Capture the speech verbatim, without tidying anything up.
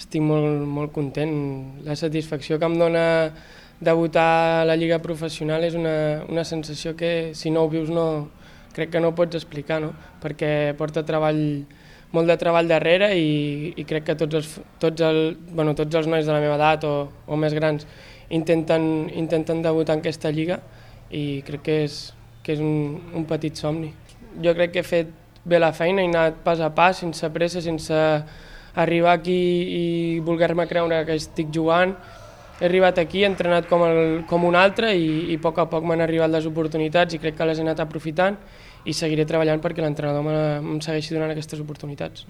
Estic molt, molt content. La satisfacció que em dona debutar a la lliga professional és una, una sensació que si no ho vius no, crec que no ho pots explicar, no? Perquè porta treball, molt de treball darrere i, i crec que tots els, tots, el, bueno, tots els nois de la meva edat o, o més grans intenten, intenten debutar en aquesta lliga i crec que és, que és un, un petit somni. Jo crec que he fet bé la feina, he anat pas a pas, sense pressa, sense arribar aquí i voler-me creure que estic jugant. He arribat aquí, he entrenat com, el, com un altre i, i a poc a poc m'han arribat les oportunitats i crec que les he anat aprofitant i seguiré treballant perquè l'entrenador em segueixi donant aquestes oportunitats.